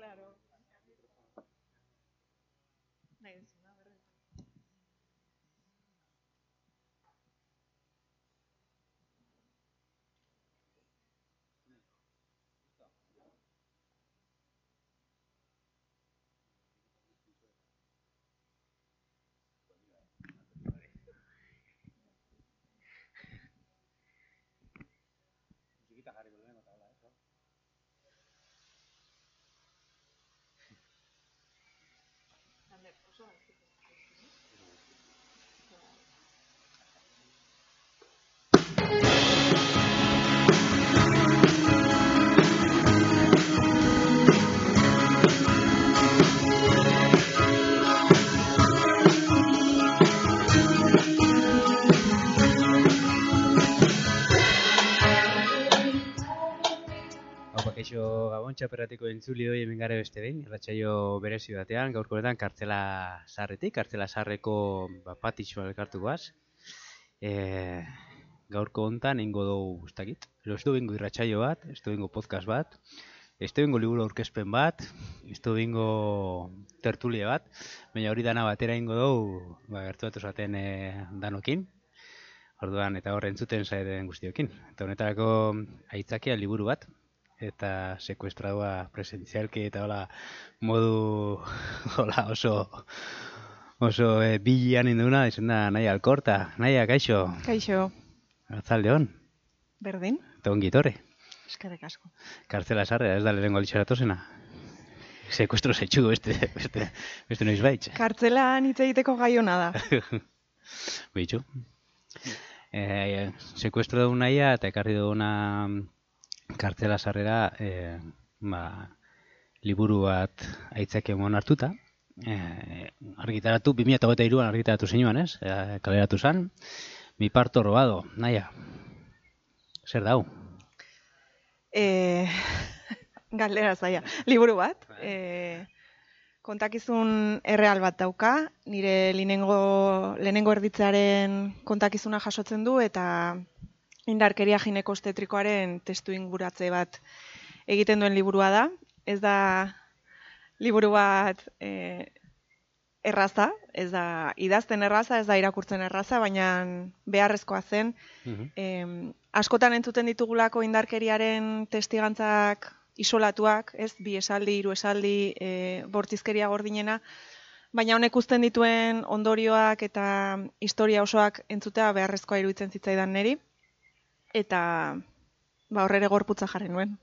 Claro. Nahi duzuna, berretan. Musikita jarriko duen, eta hola, eso. Ander, oso galtzeko. Kaixo Gabon txaperratiko entzuli hori hemen gara beste behin, irratsaio berezi batean, gaurko honetan Kartzela Zaharretik, Kartzela Zaharreko patixoa elkartu goaz. Gaurko hontan eingo dugu, ez dakit, ez du bingo irratsaio bat, ez du bingo podcast bat, ez du bingo liburu aurkezpen bat, ez du bingo tertulia bat, baina hori dana batera eingo dugu, gertuatu zaten danokin. Orduan, eta hor entzuten zaiten guztiokin. Eta honetarako aitzakia liburu bat, eta sekuestradua presentzialki eta hola modu hola oso bilian induna, izan da Naia Alkorta. Naia, kaixo? Kaixo. Arratzaldeon. Berdin? Eta ongi etorri. Eskerrik asko. Kartzela Zaharra, ez da lehenengo litxeratozena. Sekuestro zaitxu, beste noiz baitz. Kartzelan hitz egiteko gai hona da. Bitxu. Sekuestro dugu Naia eta ekarri duguna Kartzela Zaharrera liburu bat aitzaki emon hartuta. Argitaratu, 2023an argitaratu zinuan, ez? Kaleratu zan. Mi parto robado, Naia. Zer dau? Galdera zaila. Liburu bat. Kontakizun erreal bat dauka. Nire lehenengo erditzearen kontakizuna jasotzen du eta indarkeria ginekostetrikoaren testu inguratze bat egiten duen liburua da. Ez da liburu bat erraza, ez da idazten erraza, ez da irakurtzen erraza, baina beharrezkoa zen. Askotan entzuten ditugulako indarkeriaren testigantzak isolatuak, ez, 2 esaldi, 3 esaldi, bortizkeria gordinena, baina honek uzten dituen ondorioak eta historia osoak entzutea beharrezkoa iruditzen zitzaidan niri. Eta horrere gorputza jarri nuen.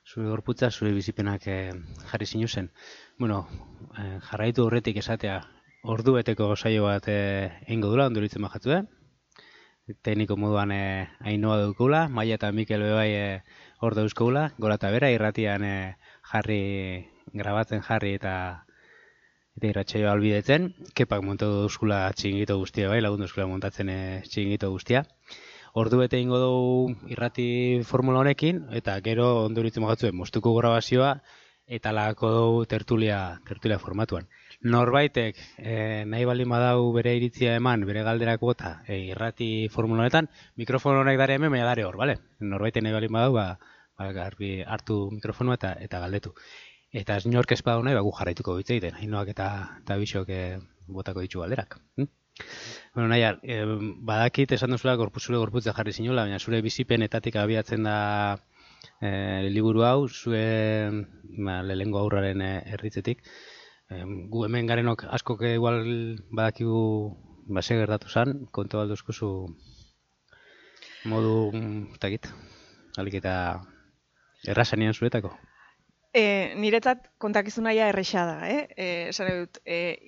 Zure gorputza, zure bizipenak jarri zinuzen. Bueno, jarraitu horretik esatea, ordubeteko saio bat eingo dula, ondoritzen bajatzu, tekniko moduan Ainoa daukula, Maia eta Mikel bebai hor dauzkoula, gora eta bera, irratian grabatzen jarri eta irratsaioa albidetzen, kepak montatu dauzkula txingito guztia bai, lagundu dauzkula montatzen txingito guztia. Ordu bete ingo dugu irrati formula honekin, eta gero ondoritzen bagatzuen mostuko grabazioa, eta lagako dugu tertulia formatuan. Norbaitek nahi baldin badau bere iritzia eman, bere galderako eta irrati formula honetan, mikrofon honek dare hemen, baina dare hor, bale? Norbaitek nahi baldin badau, garbi hartu mikrofonoa eta galdetu. Eta ez inork ez badau nahi, gu jarraituko bitzeiten, Ainoak eta Bixok botako ditu galderak. Bueno, Naia, badakit esan duzula zure gorputza jarri zinula, baina zure bizipenetatik abiatzen da liburu hau, zure lehengo aurraren erditzetik. Gu hemen garenok askok igual badakigu base gertatu zan, kontu balduzkuzu modu, alik eta errazanean zuretako. Niretzat kontakizunaia erresa da, esan dut,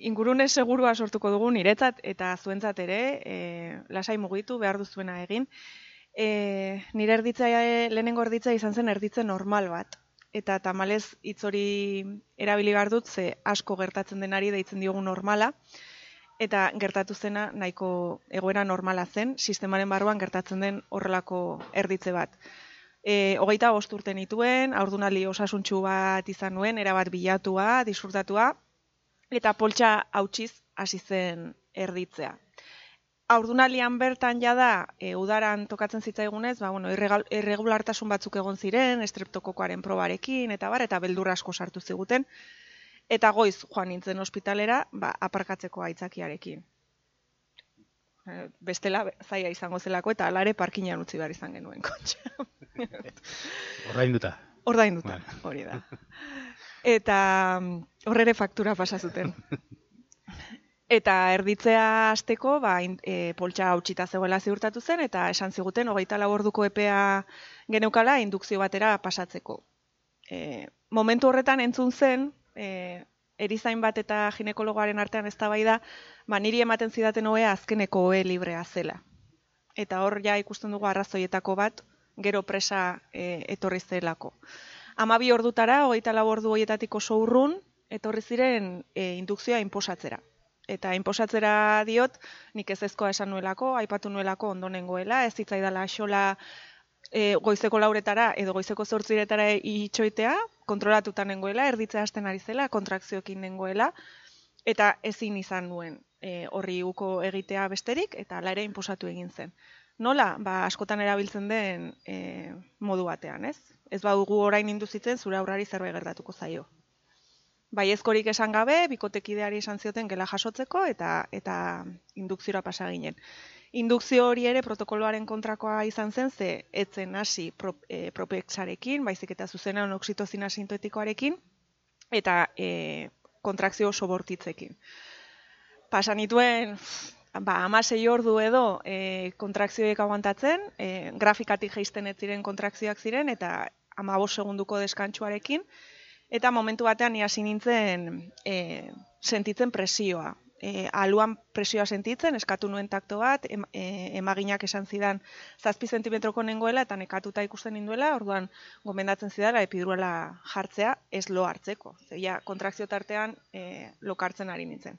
ingurune segurua sortuko dugu niretzat eta zuentzat ere, lasai mugitu behar duzuena egin. Nire lehenengo erditza izan zen erditze normal bat. Eta tamalez hitz hori erabili behar dut, ze asko gertatzen denari deitzen diogu normala. Eta gertatu zena nahiko egoera normala zen, sistemaren barruan gertatzen den horrelako erditze bat. 25 urte nituen, haurdunaldi osasuntsu bat izan nuen, erabat bilatua, disfrutatua, eta poltsa hautsiz hasi zen erditzea. Haurdunaldian bertan jada, udaran tokatzen zitzaigunez, irregulartasun batzuk egon ziren, estreptokokoaren probarekin, eta beldur asko sartu ziguten, eta goiz joan nintzen ospitalera, aparkatzeko aitzakiarekin. Bestela zaila izango zelako, eta alare parkinean utzi behar izan genuen kotxea. Ordainduta, hori da. Eta horrere faktura pasa zuten. Eta erditzea hasteko, poltsa hautsita zegoela ziurtatu zen, eta esan ziguten 24 orduko epea geneukala indukzio batera pasatzeko. Momentu horretan entzun zen, erizain bat eta ginekologoaren artean eztabaida, niri ematen zidaten ohea azkeneko ohe librea zela. Eta hor ja ikusten dugu arrazoietako bat, gero presa etorri zelako. 12 ordutara, 24 ordu horietatik oso urrun, etorri ziren indukzioa inposatzera. Eta inposatzera diot, nik ezezkoa esan nuelako, aipatu nuelako ondo nengoela, ez zitzaidala xola goizeko 4etara edo goizeko 8etara itxoitea, kontrolatuta nengoela, erditzea hasten ari zela, kontrakzioekin nengoela, eta ezin izan nuen horri uko egitea besterik, eta hala ere inposatu egin zen. Nola? Askotan erabiltzen den modu batean, ez? Ez badugu orain induzitzen, zure aurrari zerbait gertatuko zaio. Baiezkorik esan gabe, bikotekideari esan zioten gela jasotzeko eta indukziora pasa ginen. Indukzio hori ere protokoloaren kontrakoa izan zen, ze etzen hasi propexarekin, baizik eta zuzenean oxitozina sintetikoarekin, eta kontrakzio oso bortitzekin. Pasan nituen 16 ordu edo kontrakzioek aguantatzen, grafikatik jeisten ez ziren kontrakzioak ziren, eta 15 segunduko deskantsuarekin, eta momentu batean hasi nintzen sentitzen presioa. Aluan presioa sentitzen, eskatu nuen takto bat, emaginak esan zidan 7 zentimetroko nengoela, eta nekatuta ikusten ninduela, orduan gomendatzen zidala epidurala jartzea, ez lo hartzeko. Zeia, kontrakzio tartean lokartzen ari nintzen.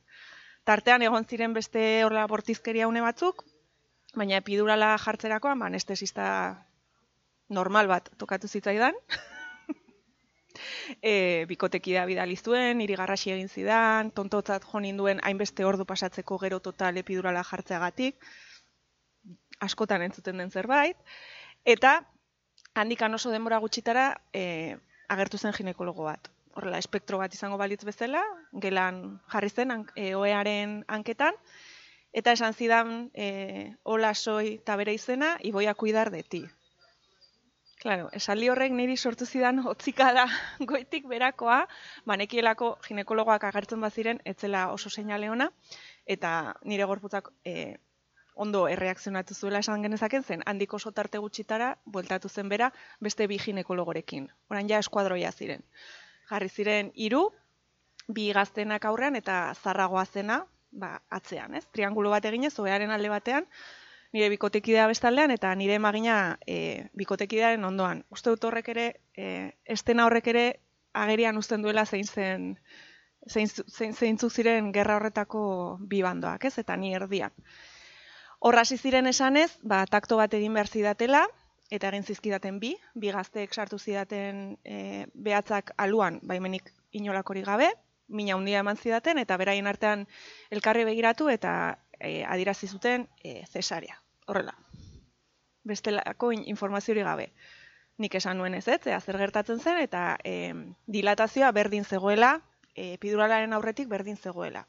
Tartean egon ziren beste horrela bortizkeria une batzuk, baina epidurala jartzerakoan, anestesista normal bat tokatu zitzaidan, bikotekidea bidali zuen, niri garrasi egin zidan, tontotzat jo ninduen hainbeste ordu pasatzeko gero total epidurala jartzeagatik, askotan entzuten den zerbait, eta handikan oso denbora gutxitara agertu zen ginekologo bat. Horrela, espektro bat izango balitz bezala, gelan jarri zen ohearen hanketan, eta esan zidan, hola soy eta bere izena, y voy a cuidar de ti. Claro, esaldi horrek niri sortu zidan hotzikada goitik berakoa, nekielako ginekologoak agertzen baziren, etzela oso seinale ona, eta nire gorputzak ondo erreakzionatu zuela esan genezaken zen, handik oso tarte gutxitara, bueltatu zen bera, beste 2 ginekologorekin. Orain ja eskuadroia ziren. Jarri ziren 3, 2 gaztenak aurrean eta zarragoa zena atzean, ez? Triangulo bat eginez, ohearen alde batean, nire bikotekidea bestaldean eta nire emagina bikotekidearen ondoan. Uste dut horrek ere, estena horrek ere agerian uzten duela zeintzuk ziren gerra horretako 2 bandoak, ez? Eta ni erdian. Horra hasi ziren esanez, takto bat egin behar zidatela, eta egin zizkidaten 2 gazteek sartu zidaten behatzak aluan, baimenik inolakorik gabe, mina handia eman zidaten, eta beraien artean elkarri begiratu eta adierazi zuten zesarea. Horrela, bestelako informaziori gabe. Nik esan nuen ez, zer gertatzen zen, eta dilatazioa berdin zegoela, epiduralaren aurretik berdin zegoela.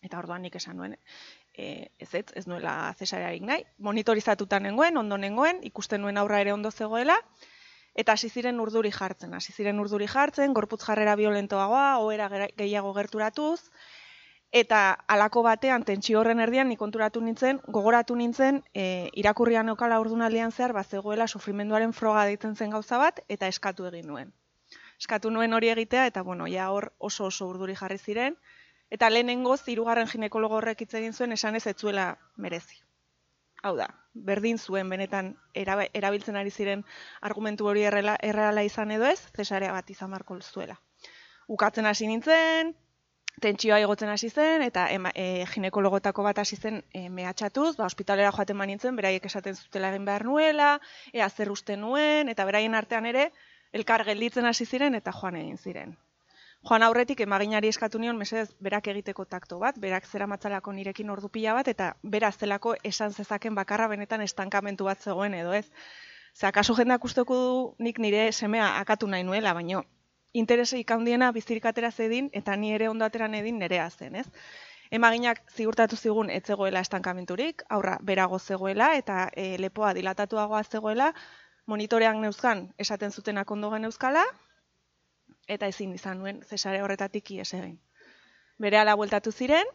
Eta orduan nik esan nuen, ez nuela zesarearik nahi. Monitorizatuta nengoen, ondo nengoen, ikusten nuen aurra ere ondo zegoela, eta hasi ziren urduri jartzen, gorputz jarrera violentoagoa, ohera gehiago gerturatuz, eta halako batean, tentsio horren erdian, nik gogoratu nintzen, irakurrian okala haurdunaldian zehar, zegoela sufrimenduaren froga deitzen zen gauza bat, eta eskatu egin nuen. Eskatu nuen hori egitea, eta ja hor oso urduri jarri ziren, eta lehenengoz, 3. ginekologo horrek hitz egin zuen, esanez ez zuela merezi. Hau da, berdin zuen benetan erabiltzen ari ziren argumentu hori erreala izan edo ez, zesarea bat izan beharko zuela. Ukatzen hasi nintzen, tentsioa igotzen hasi zen, eta ginekologotako bat hasi zen mehatxatuz, ospitalera joaten nintzen, beraiek esaten zutela egin behar nuela, ea zer uste nuen, eta beraien artean ere, elkar gelditzen hasi ziren eta joan egin ziren. Joan aurretik emaginari eskatu nion mesedez berak egiteko takto bat, berak zeramatzalako nirekin ordu pila bat, eta beraz zelako esan zezaken bakarra benetan estankamentu bat zegoen edo ez. Ze akaso jendeak usteko du nik nire semea akatu nahi nuela, baino intereseik handiena bizirik atera zedin eta ni ere ondo ateran edin nerea zen, ez? Emaginak ziurtatu zigun ez zegoela estankamenturik, aurra berago zegoela eta lepoa dilatatuagoa zegoela, monitorean neuzkan esaten zutenak ondo geneuzkala, eta ezin izan nuen zesare horretatik ihes egin. Berehala bueltatu ziren,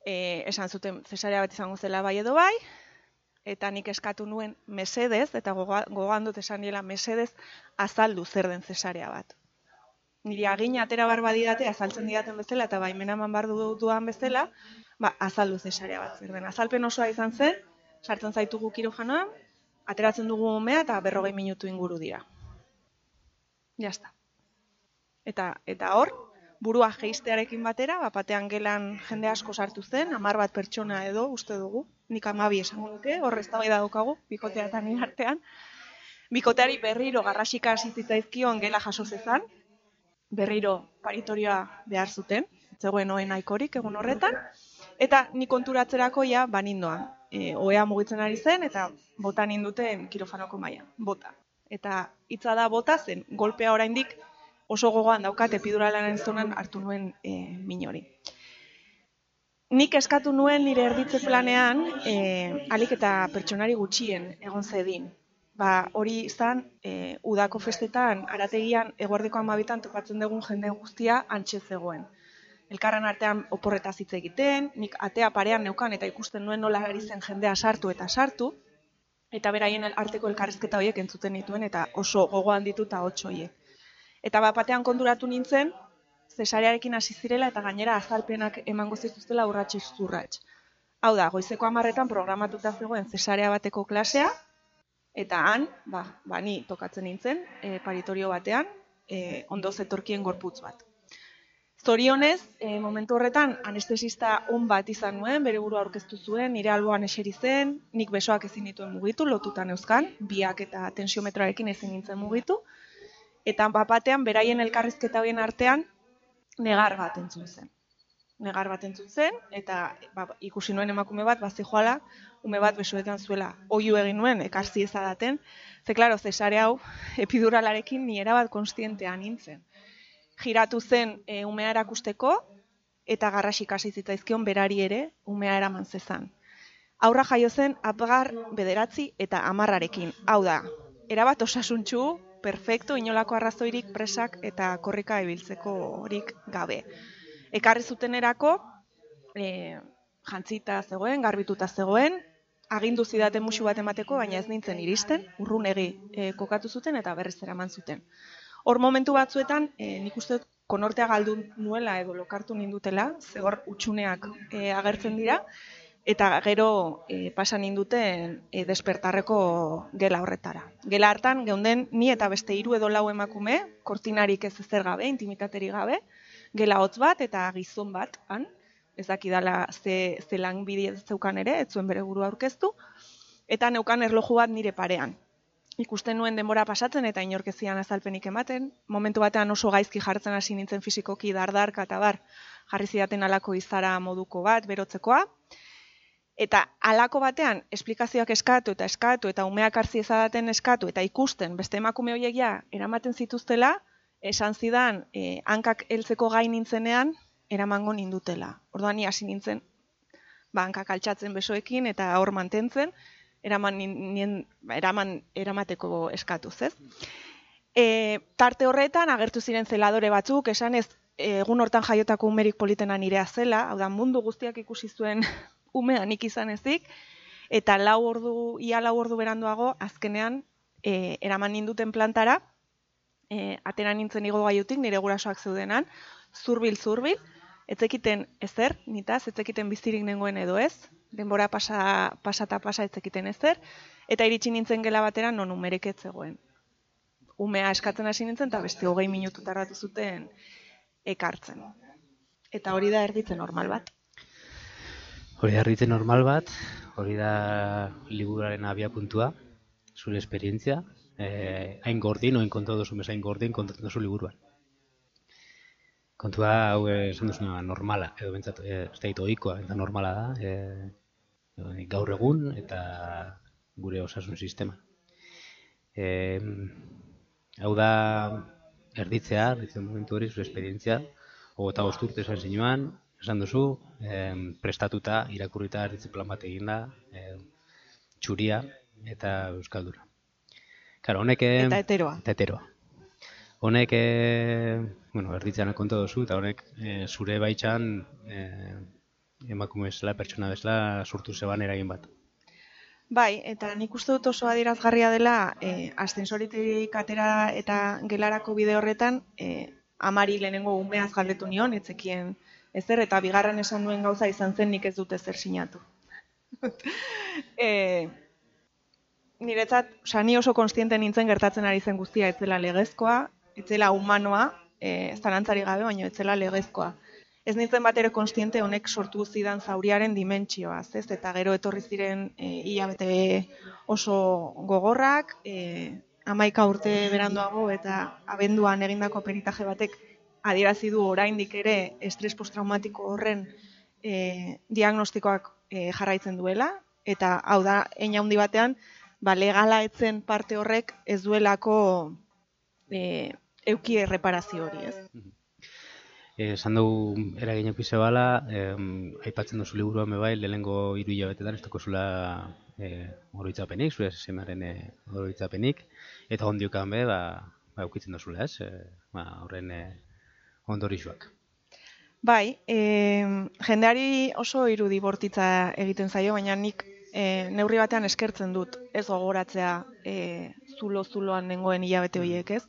esan zuten zesarea bat izango zela bai edo bai, eta nik eskatu nuen mesedez, eta gogoan dut esan niela mesedez, azaldu zer den zesarea bat. Niri agina atera bar badidate, azaltzen didaten bezala, eta baimena eman bar dudan bezala, azaldu zesarea bat zer den. Azalpen osoa izan zen, sartzen zaitugu kirojanoan, ateratzen dugu umea eta 40 minutu inguru dira. Jazta. Eta hor, burua jeistearekin batera, batean gelan jende asko sartu zen, 10 bat pertsona edo uste dugu, nik 12 esango nuke, hor eztabaida daukagu, bikotea eta nire artean. Bikoteari berriro garrasika hasi zitzaizkion gela jaso zezan, berriro paritorioa behar zuten, zegoen ohen nahikorik egun horretan, eta nik konturatzerako ja banindoan. Ohea mugitzen ari zen eta bota ninduten kirofanoko maila, bota. Eta hitza da bota zen, golpea oraindik oso gogoan daukat epiduralaren zonan hartu nuen min hori. Nik eskatu nuen nire erditze planean alik eta pertsonari gutxien egon zedin. Hori izan, udako festetan, arategian, eguerdeko 12 topatzen dugun jende guztia antxe zegoen. Elkarren artean oporretaz hitz egiten, nik atea parean neukan eta ikusten nuen nola ari zen jendea sartu, eta beraien arteko elkarrizketa horiek entzuten dituen, eta oso gogoan dituta 8 horiek. Eta batean konturatu nintzen, zesarearekin hasi zirela eta gainera azalpenak emango zituztela urratsez urrats. Hau da, goizeko 10etan programatuta zegoen zesarea bateko klasea, eta han, ni tokatzen nintzen, paritorio batean, ondo zetorkien gorputz bat. Zorionez, momentu horretan, anestesista on bat izan nuen, bere burua aurkeztu zuen, nire alboan eseri zen, nik besoak ezin dituen mugitu, lotutan euskan, biak eta tensiometroarekin ezin nintzen mugitu, eta batean, beraien elkarrizketa horien artean, negar bat entzun zen. Negar bat entzun zen, eta ikusi nuen emakume bat, zijoala, ume bat besoetan zuela, oihu egin nuen, ekarzi ezadaten, ze klaro, zesare hau, epiduralarekin ni erabat konstientea nintzen. Giratu zen umea erakusteko, eta garrasik hasi zitzaizkion berari ere umea eraman zezan. Aurra jaio zen apgar 9 eta 10arekin. Hau da, erabat osasuntsu, perfecto, inolako arrazoirik presak eta korrika ibiltzeko horik gabe. Ekarri zutenerako, jantzita zegoen, garbituta zegoen, agindu zidaten musu bat emateko, baina ez nintzen iristen, urrunegi kokatu zuten eta berriz eraman zuten. Hor momentu batzuetan, nik uste dut konortea galdu nuela edo lokartu nindutela, zegor utxuneak agertzen dira, eta gero pasa ninduten despertarreko gela horretara. Gela hartan, geunden ni eta beste 3 edo 4 emakume, kortinarik ez ezer gabe, intimitateri gabe, gela hotz bat eta gizon bat, han, ez dakidala ze lan bidez zeukan ere, ez zuen bere burua aurkeztu, eta neukan erloju bat nire parean. Ikusten nuen denbora pasatzen eta inorkezian azalpenik ematen, momentu batean oso gaizki jartzen hasi nintzen fisikoki dardarka eta bar, jarri zidaten alako izara moduko bat, berotzekoa, eta alako batean esplikazioak eskatu eta umeak hartzi ezadaten eskatu eta ikusten beste emakume horiek ja eramaten zituztela, esan zidan hankak heltzeko gai nintzenean eramango nindutela. Orduan ni hasi nintzen hankak altxatzen besoekin eta hor mantentzen, eramateko eskatuz, ez? Tarte horretan agertu ziren zeladore batzuk, esanez egun hortan jaiotako umerik politena nirea zela, hau da mundu guztiak ikusi zuen umea nik izan ezik, eta ia 4 ordu beranduago azkenean eraman ninduten plantara, atera nintzen igo gaiutik nire gurasoak zeudenan, zurbil, etzekiten ezer, nitaz, etzekiten bizirik nengoen edo ez, denbora pasa etzekiten ezer, eta iritsi nintzen gela batera non umerek ez zegoen. Umea eskatzen hasi nintzen, eta beste 20 minutu tardatu zuten ekartzen. Eta hori da erditze normal bat. Hori da erditze normal bat, hori da liburuaren abiapuntua, zure esperientzia, hain gordin, oin kontatu duzu meza hain gordin, kontatu duzu liburuan. Kontua hau esan duzuna normala, edo bentsat, ez da ohikoa, eta normala da, gaur egun eta gure osasun sistema. Hau da, erditzen momentu hori, zure esperientzia, 25 urte esan zinuan, esan duzu, prestatuta, irakurrita erditze plan bat eginda, txuria eta euskaldura. Claro, honek... Eta heteroa. Eta heteroa. Honek, erditzean konta duzu, eta honek zure baitzan emakume bezala, pertsona bezala, sortu zeban eragin bat. Bai, eta nik uste dut oso adierazgarria dela, ascensoritik atera eta gelarako bide horretan, amari lehenengo umeaz galdetu nion, etzekien ezer, eta bigarren esan nuen gauza izan zen nik ez dut ezer sinatu. Niretzat, ni oso konstiente nintzen gertatzen ari zen guztia, etzela legezkoa, etzela humanoa, zalantzari gabe, baina etzela legezkoa. Ez nintzen bat ere konstiente honek sortu zidan zauriaren dimentsioaz, ez? Eta gero etorri ziren hilabete oso gogorrak, 11 urte beranduago eta abenduan egindako peritaje batek adierazi du oraindik ere estres postraumatiko horren diagnostikoak jarraitzen duela, eta hau da, hein handi batean, legala etzen parte horrek ez duelako euki erreparazio hori, ez? Esan dugu eragin euki zebala, aipatzen duzu liburuan bai, lehenengo 3 hilabetetan ez dakozula oroitzapenik, zure semaren oroitzapenik, eta ondiokan be, eukitzen duzula, ez? Horren ondorixuak. Bai, jendeari oso irudi bortitza egiten zaio, baina nik neurri batean eskertzen dut, ez gogoratzea zulo-zuloan nengoen hilabete horiek, ez?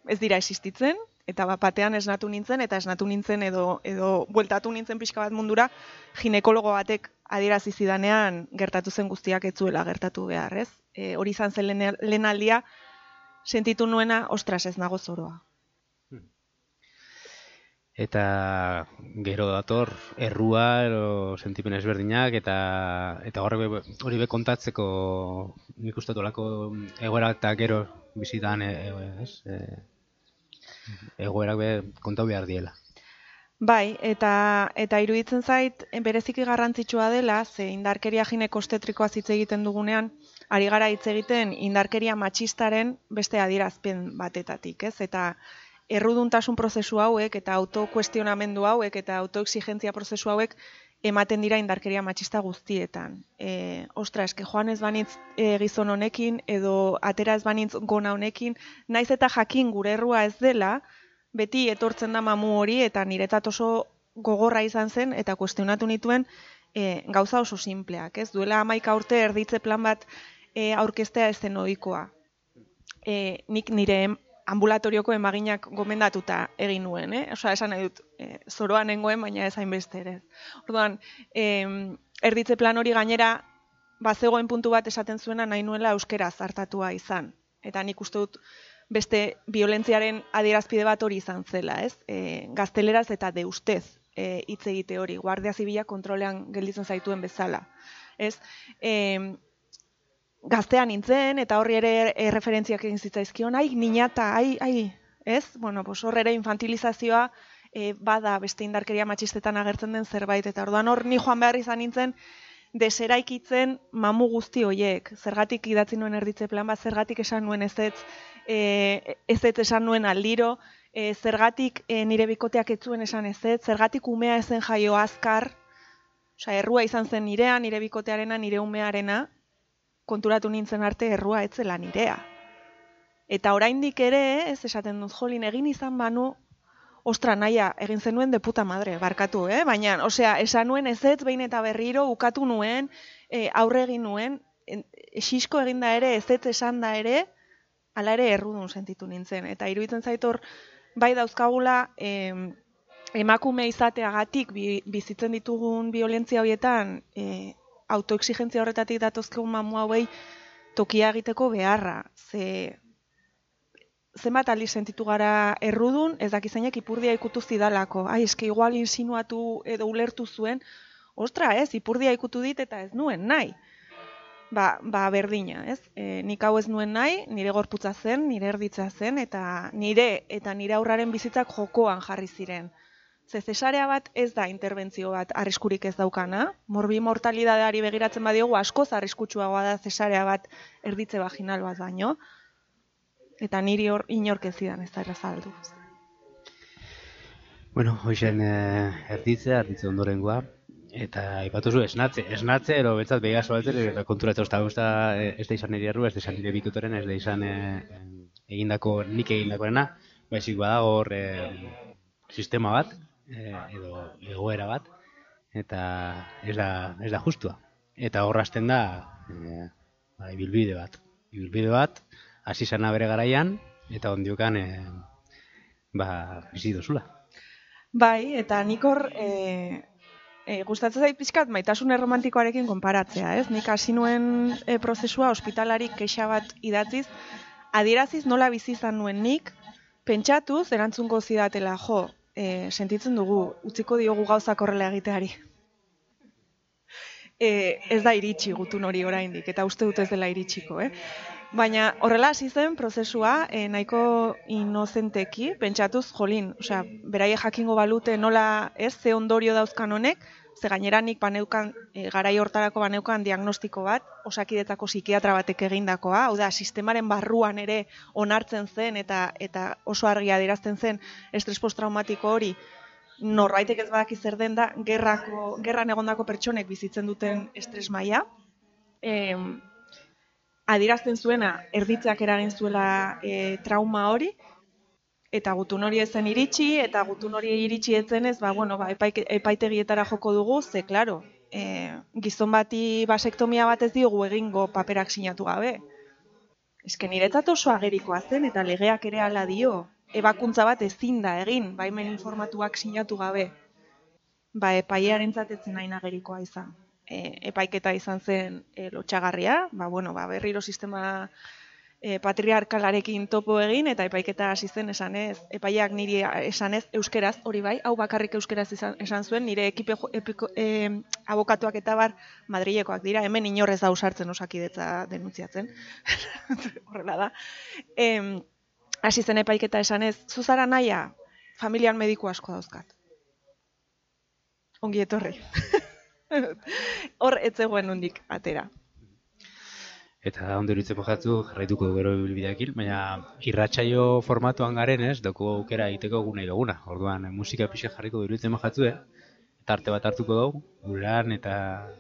Ez dira existitzen, eta batean esnatu nintzen, edo bueltatu nintzen pixka bat mundura, ginekologo batek adierazi zidanean gertatu zen guztiak ez zuela gertatu behar, ez? Hori izan zen lehen aldia, sentitu nuena, ostras, ez nago zoroa. Eta gero dator, errua, sentipen ezberdinak, eta hori be kontatzeko nik uste dolako egoera eta gero bizitan, egoerak be kontau behar diela. Bai, eta iruditzen zait bereziki garrantzitsua dela, ze indarkeria ginekostetrikoaz hitz egiten dugunean, ari gara hitz egiten indarkeria matxistaren beste adierazpen batetatik, ez? Eta erruduntasun prozesu hauek eta autokuestionamendu hauek eta autoexigentzia prozesu hauek ematen dira indarkeria matxista guztietan. Ostra, eske joan ez banitz gizon honekin edo atera ez banitz gona honekin, naiz eta jakin gure errua ez dela, beti etortzen da mamu hori eta niretzat oso gogorra izan zen eta kuestionatu nituen gauza oso simpleak, ez? Duela 11 urte erditze plan bat aurkeztea ez zen ohikoa. Nik nire ambulatorioko emaginak gomendatuta egin nuen, Osea, esan nahi dut, zoroa nengoen, baina ez hainbeste ere. Orduan, erditze plan hori gainera, bazegoen puntu bat esaten zuena nahi nuela euskeraz hartatua izan. Eta nik uste dut beste violentziaren adierazpide bat hori izan zela, ez? Gazteleraz eta deustez hitz egite hori, Guardia Zibila kontrolean gelditzen zaituen bezala, ez? Gaztean nintzen, eta horri ere erreferentziak egin zitzaizkion, niñata, ez? Bueno, hor ere infantilizazioa bada beste indarkeria matxistetan agertzen den zerbait, eta orduan hor ni joan behar izan nintzen deseraikitzen mamu guzti hoiek. Zergatik idatzi nuen erditze plan bat, zergatik esan nuen ezetz esan nuen aldiro, zergatik nire bikoteak ez zuen esan ezetz, zergatik umea ezen jaio azkar, osea, errua izan zen nirea, nire bikotearena, nire umearena, konturatu nintzen arte errua etzela nirea. Eta oraindik ere, ez esaten dut, jolin, egin izan banu, ostra, naia, egin zenuen de puta madre, barkatu, baina, osea, esan nuen ezetz behin eta berriro, ukatu nuen, aurre egin nuen, xisko eginda ere, ezetz esan da ere, hala ere errudun sentitu nintzen. Eta iruditzen zaitor, bai dauzkagula, emakume izateagatik bizitzen ditugun violentzia horietan, autoexigentzia horretatik datozkegun mamu hauei tokia egiteko beharra. Zenbat aldiz sentitu gara errudun, ez dakizainak ipurdia ikutu zidalako. Eske igual insinuatu edo ulertu zuen, ostra, ipurdia ikutu dit eta ez nuen nahi. berdina, ez? Nik hau ez nuen nahi, nire gorputza zen, nire erditza zen, eta nire aurraren bizitzak jokoan jarri ziren. Ze zesarea bat ez da interbentzio bat arriskurik ez daukana, morbi-mortalidadeari begiratzen badiogu askoz arriskutsuagoa da zesarea bat erditze vaginal bat baino, eta niri hor inork ez zidan ez da errazaldu. Bueno, hoxen erditze ondorengoa, eta aipatu zu esnatze, ero betzat behiga soaltzen, eta konturatzen ez da izan nire erru, ez da izan nire bitutoren, ez da izan nik egindakoena, baizik badago hor sistema bat, edo egoera bat, eta ez da justua. Eta horrazten da ibilbide bat, hasi zana bere garaian, eta ondiokan bizi dozula. Bai, eta nik hor gustatzen zait pixkat maitasun erromantikoarekin konparatzea, ez? Nik hasi nuen prozesua ospitalari kexa bat idatziz, adieraziz nola bizi izan nuen nik, pentsatuz erantzungo zidatela, sentitzen dugu, utziko diogu gauzak horrela egiteari. Ez da iritsi gutun hori oraindik, eta uste dut ez dela iritsiko, Baina horrela hasi zen prozesua nahiko inozenteki, pentsatuz, osea, beraie jakingo balute nola ze ondorio dauzkan honek, ze gainera nik garai hortarako baneukan diagnostiko bat, Osakidetzako psikiatra batek egindakoa, hau da, sistemaren barruan ere onartzen zen eta oso argia adierazten zen estres postraumatiko hori, norbaitek ez badaki zer den da, gerran egondako pertsonek bizitzen duten estres maila, adierazten zuena erditzeak eragin zuela trauma hori, eta gutun hori ezen iritsi, eta gutun hori iritsi etzenez, epaitegietara joko dugu, ze, klaro, gizon bati basektomia bat ez diogu egingo paperak sinatu gabe. Esken niretzat oso agerikoa zen, eta legeak ere hala dio, ebakuntza bat ezin da egin, baimen informatuak sinatu gabe. Epailearentzat ez zen hain agerikoa izan. Epaiketa izan zen lotxagarria, berriro sistema patriarkalarekin topo egin, eta epaiketa hasi zen esanez, epaileak niri esanez euskeraz, hori bai, hau bakarrik euskeraz esan zuen, nire abokatuak eta bar Madrilekoak dira, hemen inorrez da usartzen Osakidetza denuntziatzen, horrela da. Hasi zen epaiketa esanez, zuzara naia, familian mediku asko dauzkat. Ongi etorri. Hor ez zegoen nondik atera. Eta ondo iruditzen mojatzu, jarraituko du gero bilbideakin, baina irratsaio formatuan garen doko aukera egiteko gune duguna. Orduan, musika pixe jarriko iruditzen mojatzu, eta arte bat hartuko dugu, gurean eta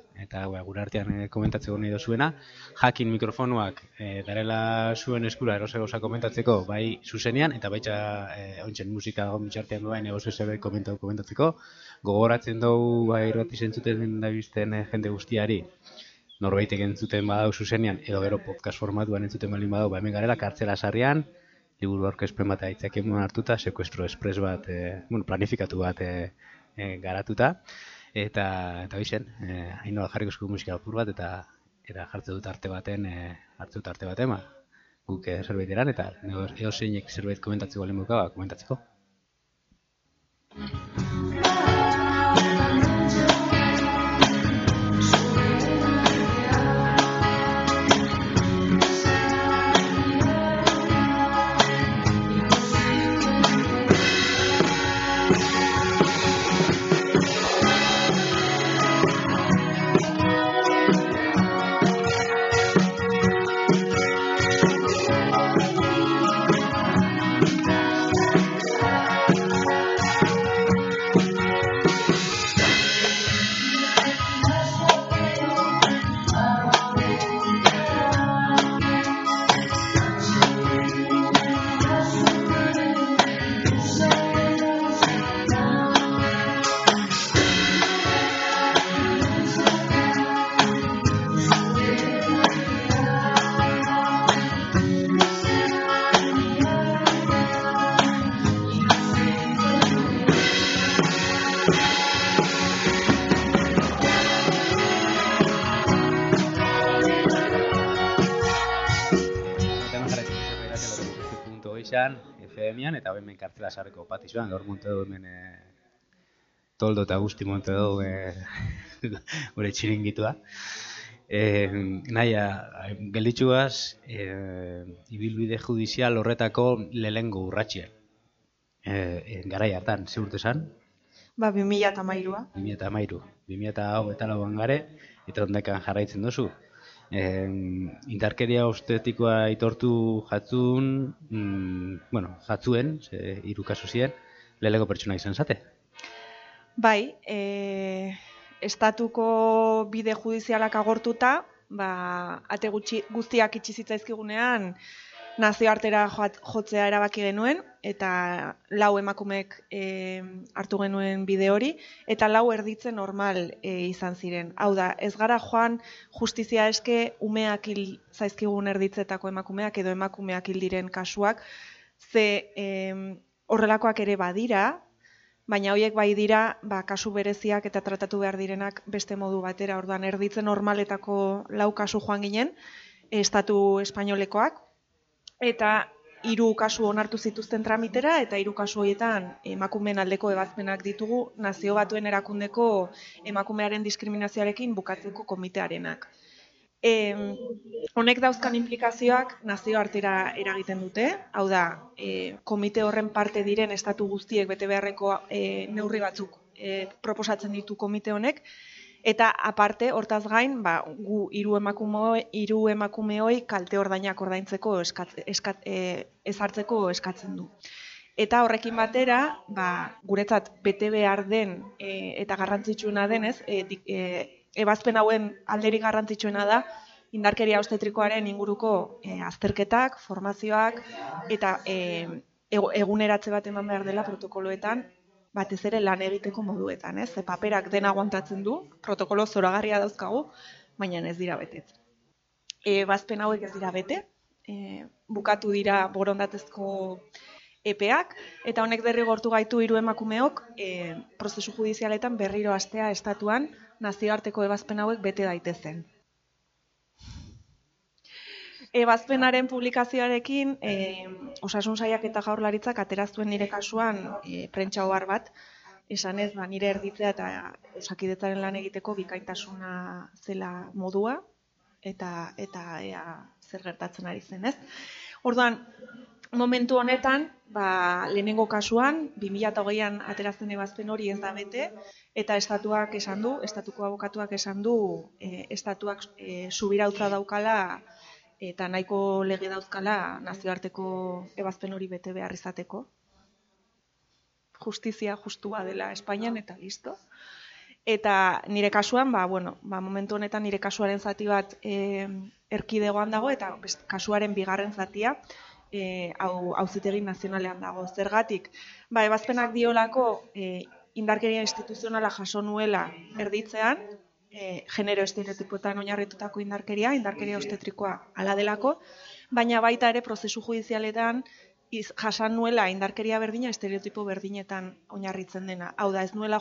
gure artean komentatzeko nahi dozuena. Jakin mikrofonuak darela zuen eskura erose gauza komentatzeko, bai zuzenean, eta baita ontzen musika dago mitxartean duen egozu zebe komentatzeko. Gogoratzen dugu irrati zentzuten dabizten jende guztiari, norbaitek entzuten badau zuzenean, edo gero podcast formatuan entzuten balin badau, hemen garela kartzela sarrian, liburu aurkezpen bat aitzakien hartuta, sekuestro espres bat, planifikatu bat garatuta, eta bixen, hain nola jarriko esku musika apur bat, eta jartze dut arte baten, guk zerbait eran, eta edo zeinek zerbait komentatzeko balen buka, komentatzeko. FM-an, eta hemen kartzela sarreko patizuan, gaur monte du hemen toldo eta guzti monte du gure txiringitua. Naia, gelditxuaz, ibilbide judizial horretako lehengo urratxea. Garai hartan, ze urte esan? 2013a. 2013. 2008an gare, eta ondekan jarraitzen duzu. Indarkeria obstetikoa aitortu jatzun, jatzuen, hiru kasu ziren, lehengo pertsona izan zate. Bai, estatuko bide judizialak agortuta, ate guztiak itxi zitzaizkigunean nazioartera jotzea erabaki genuen, eta 4 emakumeek hartu genuen bide hori, eta 4 erditzen normal izan ziren. Hau da, ez gara joan justizia eske umeak hil zaizkigun erditzetako emakumeak edo emakumeak hil diren kasuak, ze horrelakoak ere badira, baina horiek bai dira kasu bereziak eta tratatu behar direnak beste modu batera. Orduan erditzen normaletako 4 kasu joan ginen, estatu espainolekoak, eta 3 kasu onartu zituzten tramitera, eta 3 kasu horietan emakumeen aldeko ebazpenak ditugu Nazio Batuen Erakundeko emakumearen diskriminazioarekin bukatzeko komitearenak. Honek dauzkan implikazioak nazioartera eragiten dute, hau da, komite horren parte diren estatu guztiek bete beharreko neurri batzuk proposatzen ditu komite honek, eta aparte, hortaz gain, gu 3 emakumeoi kalte ordainak ordaintzeko ezartzeko eskatzen du. Eta horrekin batera, guretzat bete behar den eta garrantzitsuena denez, ebazpen hauen alderik garrantzitsuena da, indarkeria obstetrikoaren inguruko azterketak, formazioak, eta eguneratze bat eman behar dela protokoloetan, batez ere lan egiteko moduetan, ez? Paperak dena aguantatzen du, protokolo zoragarria dauzkagu, baina ez dira betetzen. Ebazpen hauek ez dira bete, bukatu dira borondatezko epeak, eta honek derrigortu gaitu 3 emakumeok prozesu judizialetan berriro hastea estatuan nazioarteko ebazpen hauek bete daitezen. Ebazpenaren publikazioarekin, Osasun Sailak eta Jaurlaritzak ateraztuen nire kasuan prentsa ohar bat, esanez nire erditzea eta Osakidetzaren lan egiteko bikaintasuna zela modua, eta ea zer gertatzen ari zen, ez? Orduan, momentu honetan, lehenengo kasuan, 2008an aterazten ebazpen hori ez da bete, eta estatuko abokatuak esan du, estatuak subirautza daukala, eta nahiko lege dauzkala nazioarteko ebazpen hori bete behar izateko. Justizia justua dela Espainian eta listo. Eta nire kasuan, momentu honetan nire kasuaren zati bat erkidegoan dago, eta kasuaren bigarren zatia auzitegi nazionalean dago. Zergatik, ebazpenak diolako indarkeria instituzionala jaso nuela erditzean, genero estereotipoetan oinarritutako indarkeria obstetrikoa hala delako, baina baita ere prozesu judizialetan jasan nuela indarkeria berdina estereotipo berdinetan oinarritzen dena. Hau da, ez nuela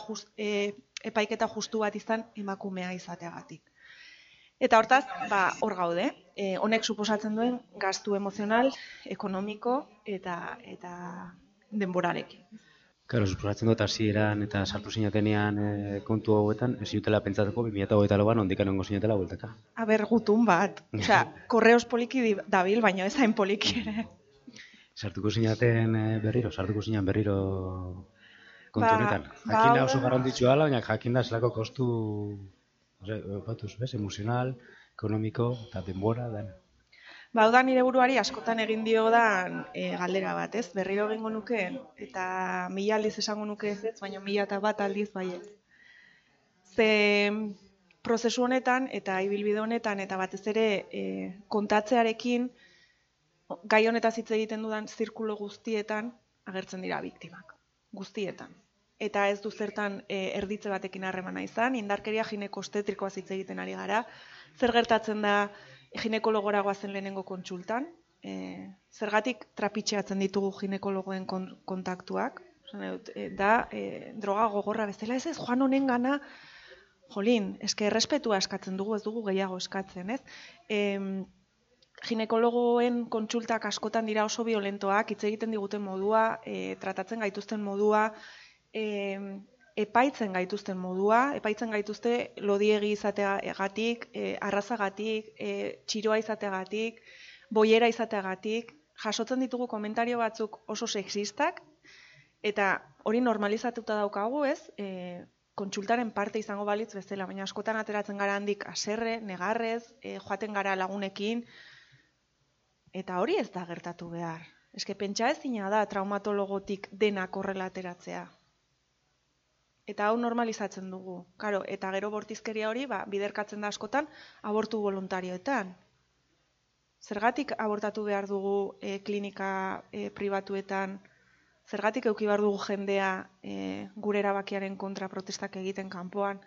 epaiketa justu bat izan emakumea izateagatik. Eta hortaz, hor gaude. Honek suposatzen duen gastu emozional, ekonomiko eta denborarekin. Claro, suposatzen dut hasieran eta sartu zinatenean kontu hauetan, ez zutela pentsatuko 2024an ondikan ongo zinatela bueltaka. Gutun bat. Korreos poliki dabil, baina ez hain poliki ere. Sartuko zinaten berriro kontu honetan. Jakinda oso garrantzitsua dela, baina jakinda zelako kostu emozional, ekonomiko eta denbora dena. Hau da nire buruari askotan egin diodan galdera bat, ez? Berriro egingo nuke, eta 1000 aldiz esango nuke ez, baina 1001 aldiz baiet. Ze prozesu honetan eta ibilbide honetan eta batez ere kontatzearekin gai honetaz hitz egiten dudan zirkulo guztietan agertzen dira biktimak. Guztietan. Eta ez du zertan erditze batekin harremana izan, indarkeria gineko-obstetrikoaz hitz egiten ari gara. Zer gertatzen da ginekologora goazen lehenengo kontsultan, zergatik trapitxeatzen ditugu ginekologoen kontaktuak, droga gogorra bezala, ez joan honen gana, errespetua eskatzen dugu, ez dugu gehiago eskatzen, ez? Ginekologoen kontsultak askotan dira oso violentoak, hitz egiten diguten modua, tratatzen gaituzten modua, epaitzen gaituzten modua, epaitzen gaituzte lodiegi izateagatik, arrazagatik, txiroa izateagatik, boiera izateagatik, jasotzen ditugu komentario batzuk oso sexistak, eta hori normalizatuta daukagu, ez? Kontsultaren parte izango balitz bezala, baina askotan ateratzen gara handik haserre, negarrez, joaten gara lagunekin, eta hori ez da gertatu behar. Eske pentsa ezina da traumatologotik denak horrela ateratzea. Eta hau normalizatzen dugu. Karo, eta gero bortizkeria hori biderkatzen da askotan abortu voluntarioetan. Zergatik abortatu behar dugu klinika pribatuetan, zergatik eduki behar dugu jendea gure erabakiaren kontra protestak egiten kanpoan,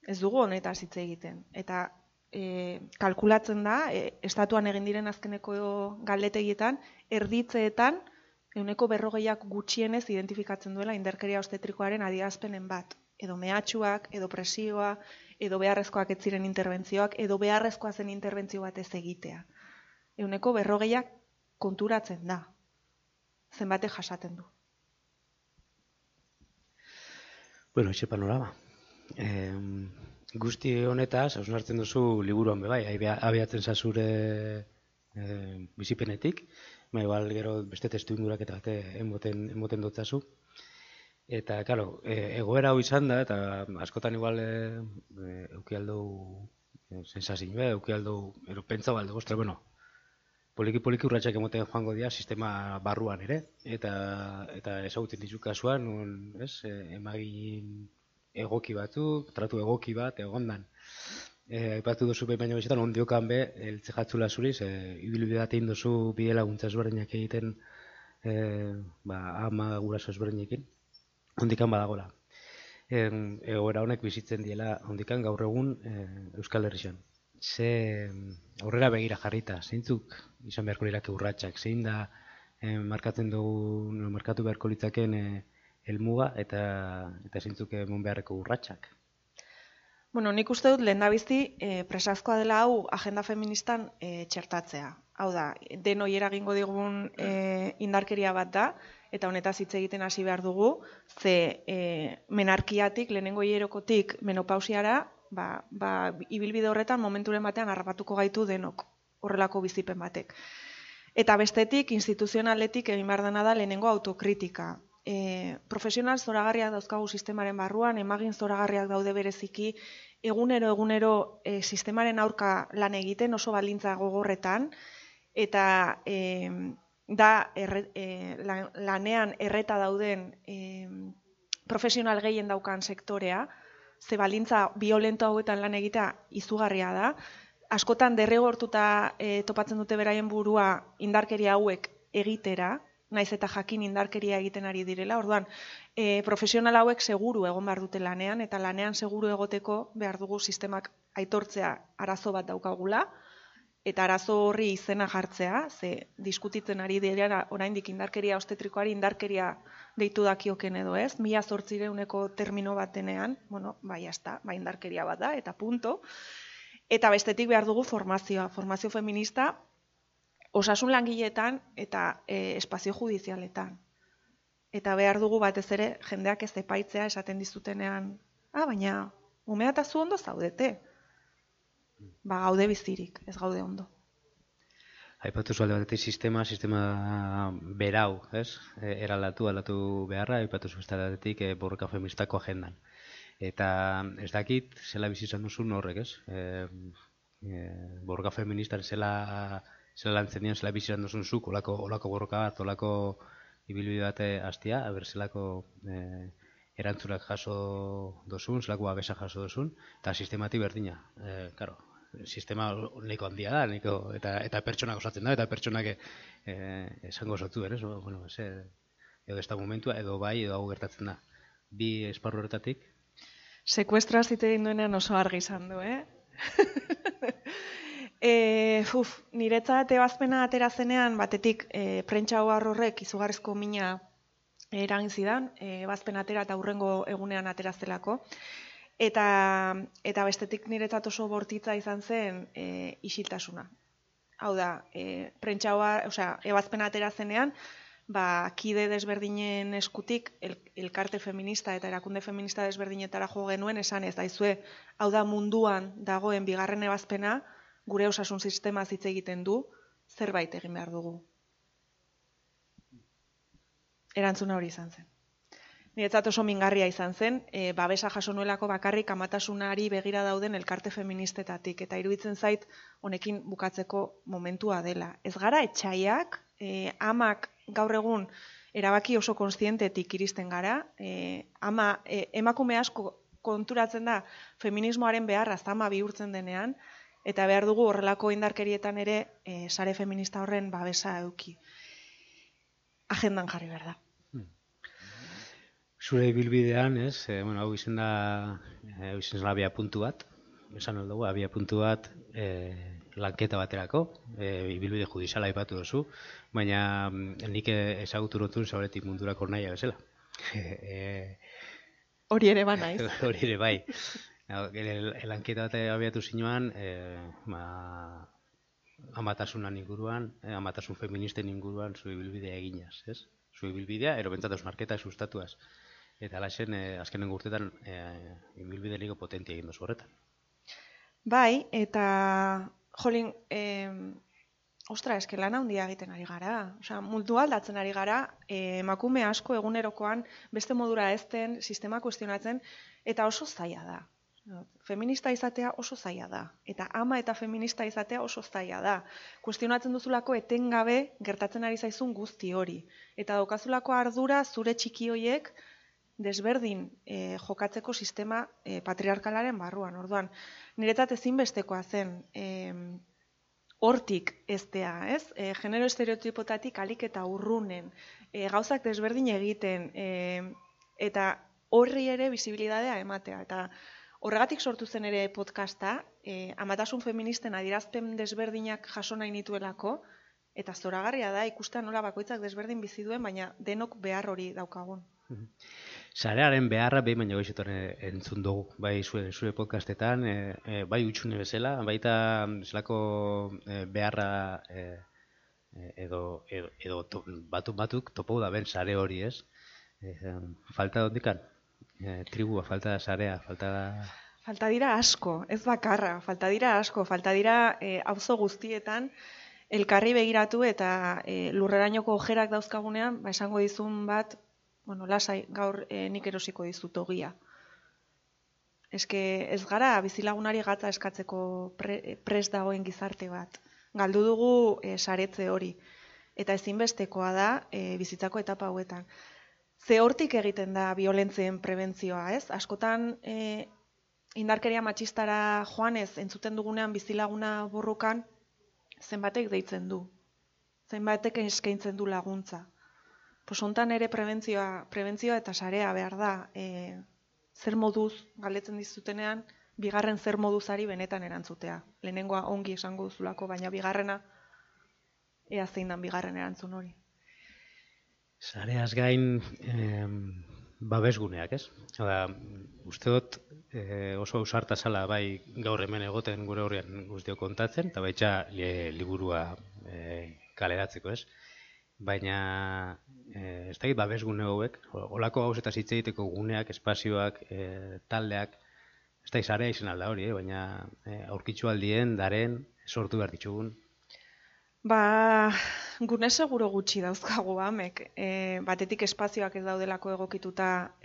ez dugu honetaz hitz egiten. Eta kalkulatzen da, estatuan egin diren azkeneko galdetegietan, erditzeetan, 40%ak gutxienez identifikatzen duela indarkeria obstetrikoaren adierazpenen bat. Edo mehatxuak, edo presioa, edo beharrezkoak ez ziren interbentzioak, edo beharrezkoa zen interbentzio bat ez egitea. 40%ak konturatzen da. Zenbate jasaten du. Bueno, etxe panorama. Guzti honetaz, hausnartzen duzu liburuan bebai, abiatzen zazure bizipenetik, igual gero beste testu indurak eta emoten dotzazu. Eta, claro, egoera hau izan da, eta askotan igual euki aldou sensazioa, euki aldou, pentsa balde, ostra, bueno, poliki urratsak emoten joango dira sistema barruan ere, eta ezagutzen ditu kasuan, emagin egoki batzuk, tratu egoki bat, egondan. Aipatu duzu baina bezetan, ondiokan be, eltze jatzula zuriz, ibilbidea egin duzu bide laguntza ezberdinak egiten, ama guraso ezberdinekin, ondikan badagola. Egoera honek bizitzen diela ondikan gaur egun Euskal Herrian. Ze aurrera begira jarrita, zeintzuk izan beharko lirake urratsak, zein da markatu beharko litzaken helmuga eta zeintzuk emon beharreko urratsak? Bueno, nik uste dut lehendabizi presazkoa dela hau agenda feministan txertatzea. Hau da, denoi eragingo digun indarkeria bat da, eta honetaz hitz egiten hasi behar dugu, ze menarkiatik, lehenengo hierokotik menopausiara, ibilbide horretan momenturen batean harrapatuko gaitu denok horrelako bizipen batek. Eta bestetik, instituzionaletik egin behar dena da lehenengo autokritika. Profesional zoragarriak dauzkagu sistemaren barruan, emagin zoragarriak daude bereziki, egunero sistemaren aurka lan egiten oso baldintza gogorretan, eta lanean erreta dauden profesional gehien daukan sektorea, ze baldintza violento hauetan lan egitea izugarria da. Askotan derrigortuta topatzen dute beraien burua indarkeria hauek egitera, naiz eta jakin indarkeria egiten ari direla. Orduan, profesional hauek seguru egon behar dute lanean, eta lanean seguru egoteko behar dugu sistemak aitortzea arazo bat daukagula, eta arazo horri izena jartzea, ze diskutitzen ari dira oraindik indarkeria obstetrikoari indarkeria deitu dakioken edo ez, 1800ko termino batenean, bueno, jazta, indarkeria bat da, eta punto. Eta bestetik behar dugu formazio feminista, osasun langileetan eta espazio judizialetan. Eta behar dugu batez ere jendeak ez epaitzea esaten dizutenean, baina umea eta zu ondo zaudete. Gaude bizirik, ez gaude ondo. Aipatu zu alde batetik sistema berau, ez? Aldatu beharra, aipatu zu beste alde batetik borroka feministako agendan. Eta ez dakit, zela bizi izan duzun horrek, ez? Borroka feministan zela lantzen dian, zela bizi izan duzun zuk, olako borroka bat, olako ibilbide bat hastia, zelako erantzunak jaso dozun, zelako babesa jaso dozun, eta sistematik berdina. Claro, sistema nahiko handia da, eta pertsonak osatzen da, eta pertsonak esango osatu berez, bueno, edo ez da momentua, edo bai, edo hau gertatzen da. Bi esparru horretatik. Sekuestroa zite egin duenean oso argi izan du, niretzat ebazpena atera zenean, batetik prentsa horrek izugarrizko mina eragin zidan, ebazpena atera eta hurrengo egunean atera zelako. Eta bestetik niretzat oso bortitza izan zen isiltasuna. Hau da, ebazpena atera zenean, kide desberdinen eskutik elkarte feminista eta erakunde feminista desberdinetara jo genuen esan ez daizue, hau da munduan dagoen bigarren ebazpena, gure osasun sistema hitz egiten du, zerbait egin behar dugu. Erantzuna hori izan zen. Niretzat oso mingarria izan zen, babesa jaso nuelako bakarrik amatasunari begira dauden elkarte feministetatik, eta iruditzen zait honekin bukatzeko momentua dela. Ez gara etxaiak, amak gaur egun erabaki oso kontzientetik iristen gara, emakume asko konturatzen da feminismoaren beharra zama bihurtzen denean, eta behar dugu horrelako indarkerietan ere sare feminista horren babesa eduki. Agendan jarri behar da. Zure ibilbidean, hau izen da abia puntu bat, esan dugu, abia puntu bat lanketa baterako, ibilbide judiziala aipatu duzu, baina nik ezagutu notun zauretik mundurako naia bezala. Hori ere ba naiz. Hori ere bai. Lanketa bat abiatu zinuan, amatasunan inguruan, amatasun feministen inguruan zu ibilbidea eginaz, ez? Zu ibilbidea, ero bentzatuz marketa sustatuaz. Eta alaxen, azkenen urtetan, ibilbide niko potentia egin dozu horretan. Bai, eta jolin, eske lan handia egiten ari gara. Osea, mundu aldatzen ari gara, emakume asko egunerokoan beste modura ezten, sistema kuestionatzen, eta oso zaila da. Feminista izatea oso zaila da. Eta ama eta feminista izatea oso zaila da. Kuestionatzen duzulako etengabe gertatzen ari zaizun guzti hori. Eta daukazulako ardura zure txiki hoiek desberdin jokatzeko sistema patriarkalaren barruan. Orduan, niretzat ezinbestekoa zen hortik eztea, ez? Genero estereotipotatik alik eta urrunen, gauzak desberdin egiten, eta horri ere bizibilidadea ematea. Eta horregatik sortu zen ere podcasta, amatasun feministen adierazpen desberdinak jaso nahi nituelako, eta zoragarria da ikustea nola bakoitzak desberdin bizi duen, baina denok behar hori daukagun. Sarearen beharra behin baino goizetan entzun dugu, bai zure podcastetan, bai utxune bezala, baita zelako beharra edo batuk topau da ben sare hori, ez? Falta dondikan? Tribua, falta sarea, falta... Falta dira asko, ez bakarra, falta dira asko, falta dira auzo guztietan elkarri begiratu eta lurrerainoko ojerak dauzkagunean, esango dizun bat, lasai, gaur nik erosiko dizut ogia. Eske ez gara bizilagunari gatza eskatzeko prest dagoen gizarte bat. Galdu dugu saretze hori. Eta ezinbestekoa da bizitzako etapa hauetan. Ze hortik egiten da biolentzien prebentzioa, ez? Askotan indarkeria matxistara joanez entzuten dugunean bizilaguna borrokan zenbatek deitzen du. Zenbatek eskaintzen du laguntza. Hontan ere prebentzioa eta sarea behar da, zer moduz galdetzen dizutenean, bigarren zer moduzari benetan erantzutea. Lehenengoa ongi esango duzulako, baina bigarrena ea zein dan bigarren erantzun hori. Sareaz gain babesguneak, ez? Uste dut oso ausarta zala bai gaur hemen egoten gure horrean guztio kontatzen, eta baitza liburua kaleratzeko, ez? Baina ez dakit babesgune hauek, olako gauzetaz hitz egiteko guneak, espazioak, taldeak, ez dakit sarea izan alda hori, baina aurkitzu aldien, daren, sortu behar ditugun. Gune seguro gutxi dauzkagu amek, batetik espazioak ez daudelako egokituta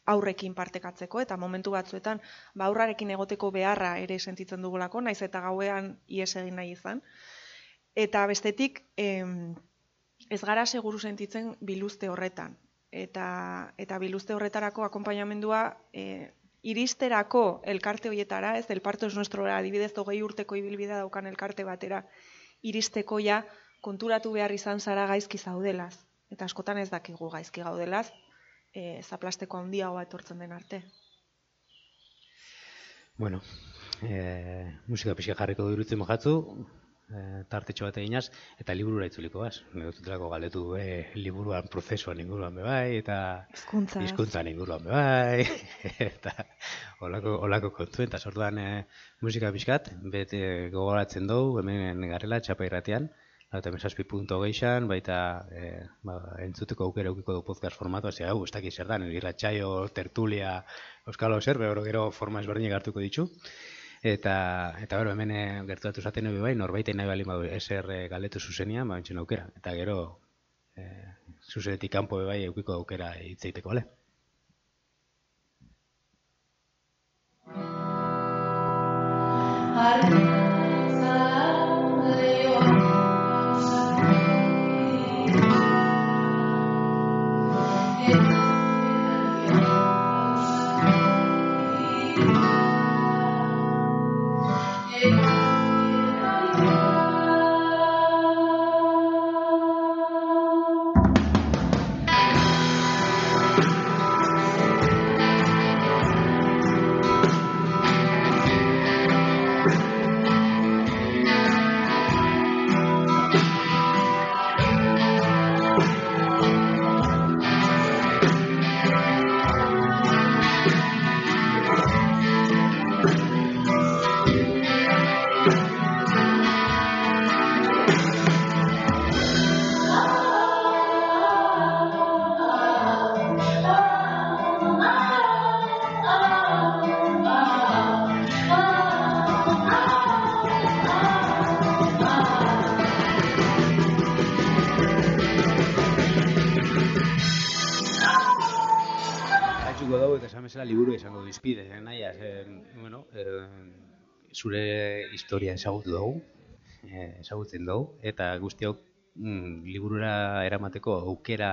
aurrekin partekatzeko, eta momentu batzuetan aurrarekin egoteko beharra ere sentitzen dugulako, naiz eta gauean ihes egin nahi izan. Eta bestetik, ez gara seguru sentitzen biluzte horretan. Eta biluzte horretarako akonpainamendua iristerako elkarte horietara, ez, el parto es nuestrora, adibidez 20 urteko ibilbidea daukan elkarte batera, iristeko ja konturatu behar izan zara gaizki zaudelaz. Eta askotan ez dakigu gaizki gaudelaz, zaplasteko handiagoa etortzen den arte. Bueno, musika pixka jarriko durutzen mojatzu, tartetxo bat eginaz, eta liburura itzuliko baz. Negotutelako galdetu liburuan prozesuan inguruan bebai, eta hizkuntzan inguruan bebai, eta olako kontuen, eta sortuan musika pixkat, bete gogoratzen dugu, hemen garela, txapa irratian, Eta mesazpi.geixan, baita entzuteko aukera eukiko du podcast formatu, hasi hau, ez dakit zer da, irratsaio, tertulia, euskalo zer, gero forma ezberdinak hartuko ditu. Eta bero, hemen gertatu zaten bai, norbaiten nahi baldin badu SR galdetu zuzenian, bentsen aukera. Eta gero, zuzenetik kanpo bai eukiko aukera hitzeiteko, bale? Liburu izango dizpide, naia, zure historia ezagutzen dugu, eta guztiok liburura eramateko aukera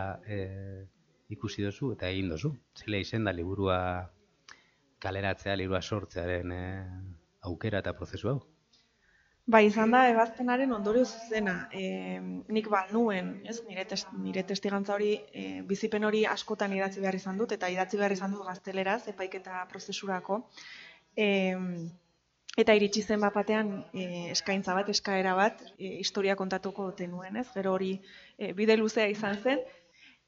ikusi dozu eta egin dozu. Zela izen da liburua kaleratzea, liburua sortzearen aukera eta prozesu hau? Bai, izan da, ebazpenaren ondorio zuzena. Nik nuen, nire testigantza hori, bizipen hori askotan idatzi behar izan dut, eta idatzi behar izan dut gazteleraz, epaiketa prozesurako. Eta iritsi zen batean eskaintza bat, eskaera bat, historia kontatuko tenuen, ez? Gero hori bide luzea izan zen,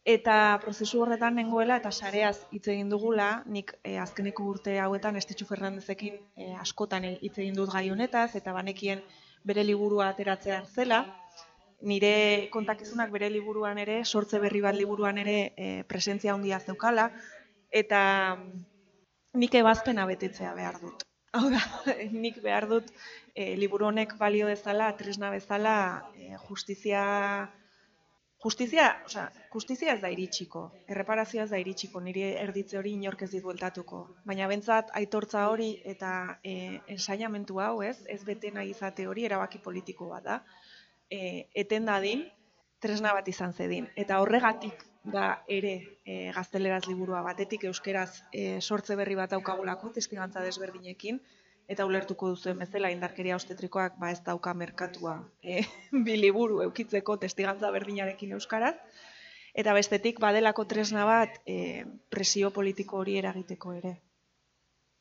eta prozesu horretan nengoela eta sareaz hitz egin dugula, nik azkeneko urte hauetan Estitxu Fernandezekin askotan hitz egin dut gai honetaz, eta banekien bere liburua ateratzea zela. Nire kontakizunak bere liburuan ere, sortze berri bat liburuan ere presentzia handia zeukala, eta nik ebazpena betetzea behar dut. Hau da, nik behar dut liburu honek balio dezala, tresna bezala, justizia ez da iritsiko, erreparazioa ez da iritsiko, niri erditze hori inork ez dit bueltatuko. Baina bentsat aitortza hori eta ensainamentu hau ez bete nahi izate hori erabaki politiko bat da. Eten dadin, tresna bat izan zedin. Eta horregatik da ere gazteleraz liburua batetik euskeraz sortze berri bat daukagulako, testigantza desberdinekin, eta ulertuko duzuen bezala indarkeria obstetrikoak ez dauka merkatua bi liburu eukitzeko testigantza berdinarekin euskaraz, eta bestetik badelako tresna bat presio politiko hori eragiteko ere.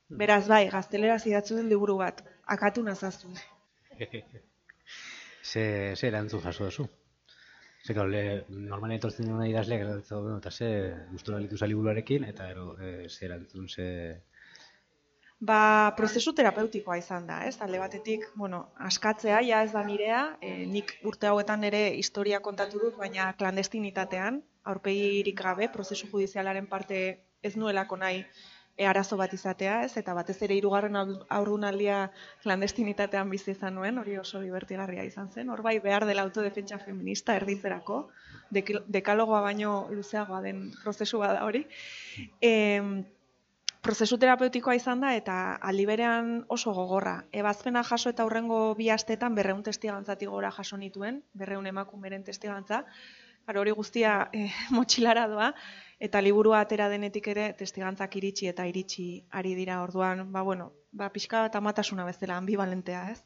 Beraz bai, gazteleraz idatzu den liburu bat, akatu nazazu. Ze erantzun jaso duzu? Normalen etortzen duna idazleak eta ze gustura litu liburuarekin, eta ze erantzun, prozesu terapeutikoa izan da, ez? Alde batetik, askatzea, ja ez da nirea, nik urte hauetan ere historia kontatu dut, baina klandestinitatean, aurpegirik gabe, prozesu judizialaren parte ez nuelako nahi arazo bat izatea, ez? Eta batez ere 3. haurdunaldia klandestinitatean bizi izan nuen, hori oso divertigarria izan zen. Hor bai behar dela autodefentsa feminista erditzerako, dekalogoa baino luzeagoa den prozesu bada hori. Prozesu terapeutikoa izan da eta aldi berean oso gogorra. Ebazpena jaso eta hurrengo 2 astetan 200 testigantzatik gora jaso nituen, 200 emakumeren testigantza. Hori guztia motxilara doa, eta liburua atera denetik ere testigantzak iritsi eta iritsi ari dira orduan, pixka bat amatasuna bezala, ambivalentea, ez?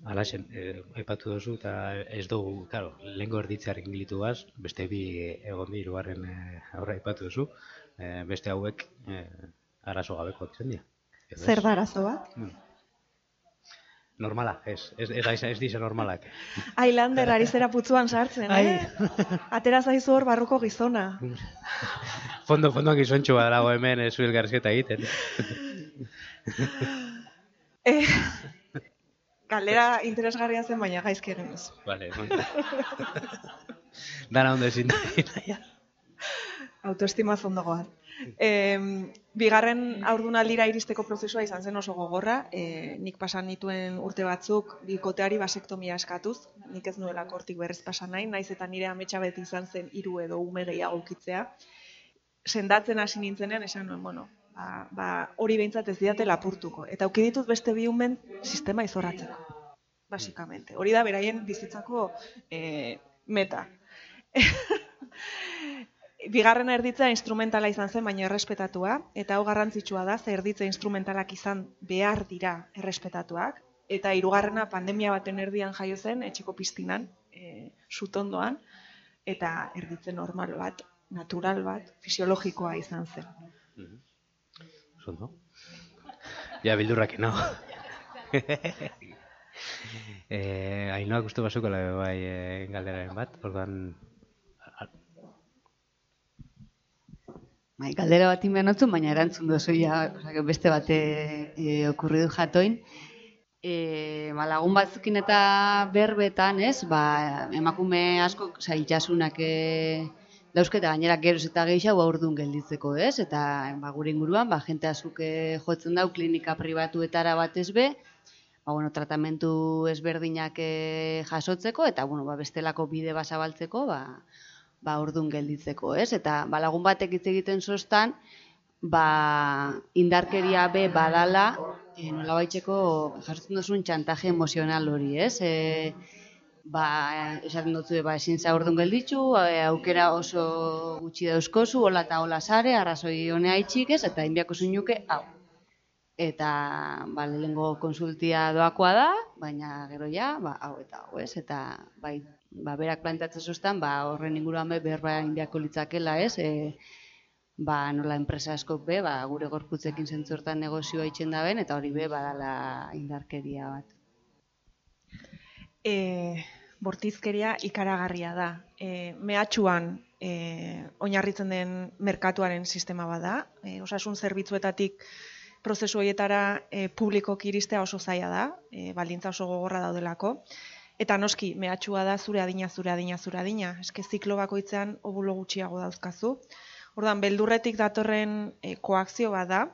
Alaxen, aipatu duzu eta ez dugu, lehenko erditzearekin gilitu gaz, beste 2 egon di, 3. aurra aipatu duzu, beste hauek arazo gabeko izan dira. Zer da arazo bat? Normala, ez dize normalak. Ailander ari zera putzuan sartzen, Atera zaizu hor barruko gizona. Fondoan gizontxua dago hemen zu elgarrizketa egiten. Galdera interesgarria zen, baina gaizki egin ez. Vale, dana ondo ezin da. Autoestima zondagoan. Bigarren haurdunaldira iristeko prozesua izan zen oso gogorra. Nik pasan nituen urte batzuk bikoteari basektomia eskatuz. Nik ez nuelako hortik berriz pasan nahi, naiz eta nire ametsa beti izan zen 3 edo ume gehiago ukitzea. Sendatzen hasi nintzenean esan nuen, bueno, hori behintzat ez didate lapurtuko. Eta auki ditut beste 2 umen sistema izorratzeko, basikamente. Hori da beraien bizitzako meta. Bigarrena erditzea instrumentala izan zen, baina errespetatua, eta hau garrantzitsua da, ze erditze instrumentalak izan behar dira errespetatuak, eta 3. pandemia baten erdian jaio zen, etxeko piztinan, sutondoan, eta erditze normal bat, natural bat, fisiologikoa izan zen. Zondo? Ja, bildurrak no. Ainoak uste basuko bai galderaren bat, orduan... Galdera bat inbenotzun, baina erantzun dozu ja, beste bate okurridu jatoin. Lagun batzukin eta berbetan, ez, emakume asko itxasunak dauzketa gainera geroz eta gehiago aurdun gelditzeko, ez? Eta gure inguruan, jente askok jotzen dau klinika pribatuetara batez be, tratamentu ezberdinak jasotzeko, eta bestelako bide basabaltzeko, ordun gelditzeko, ez? Eta lagun batek hitz egiten zoztan, indarkeria be badala, nolabaiteko jasotzen duzun txantaje emozional hori, ez? Esaten dutzu, ezin za ordun gelditzu, aukera oso gutxi dauzkozu, hola eta hola sare, arrazoi honea itxik, ez? Eta inbiako zuinuke, hau. Eta, lehengo konsultia doakoa da, baina gero ja, hau eta hau, ez? Eta, berak planteatzen zuztan, horren inguruan berba inbiako litzakela, ez? Nola enpresa askok be, gure gorputzekin zentzortan negozioa itxen da ben, eta hori be, badala indarkeria bat. Bortizkeria ikaragarria da. Mehatxuan oinarritzen den merkatuaren sistema bada. Osasun zerbitzuetatik prozesu horietara publikoki iristea oso zaila da, baldintza oso gogorra daudelako. Eta noski, mehatxua da zure adina. Eske ziklo bakoitzean obulo gutxiago dauzkazu. Orduan, beldurretik datorren koakzio bat da,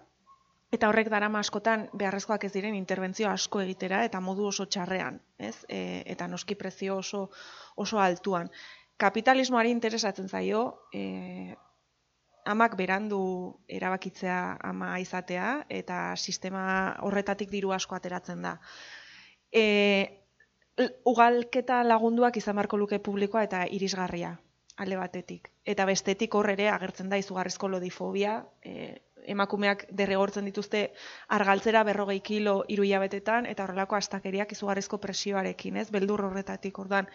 eta horrek darama askotan beharrezkoak ez diren interbentzio asko egitera, eta modu oso txarrean, ez? Eta noski prezio oso altuan. Kapitalismoari interesatzen zaio, amak berandu erabakitzea ama izatea, eta sistema horretatik diru asko ateratzen da. Ugalketa lagunduak izan beharko luke publikoa eta irisgarria, alde batetik. Eta bestetik hor ere agertzen da izugarrizko lodifobia, emakumeak derrigortzen dituzte argaltzera 40 kilo 3 hilabetetan, eta horrelako astakeriak izugarrizko presioarekin, ez? Beldur horretatik, ordan.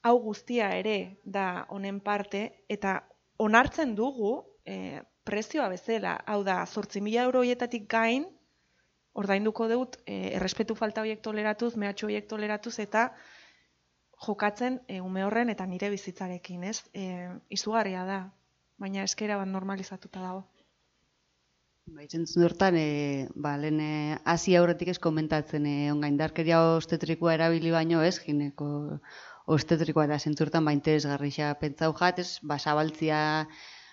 Hau guztia ere da honen parte, eta onartzen dugu prezioa bezala, hau da, 8.000 euro horietatik gain, ordainduko dut, errespetu falta horiek toleratuz, mehatxu horiek toleratuz, eta jokatzen ume horren eta nire bizitzarekin, ez? Izugarria da, baina eskera bat normalizatuta dago. Zentzun hortan, lehen hasi aurretik ez komentatzen, ongaindarkeria obstetrikoa erabili baino ez, gineko obstetrikoa da zentzurtan interesgarria pentsau jat, ez, zabaltzia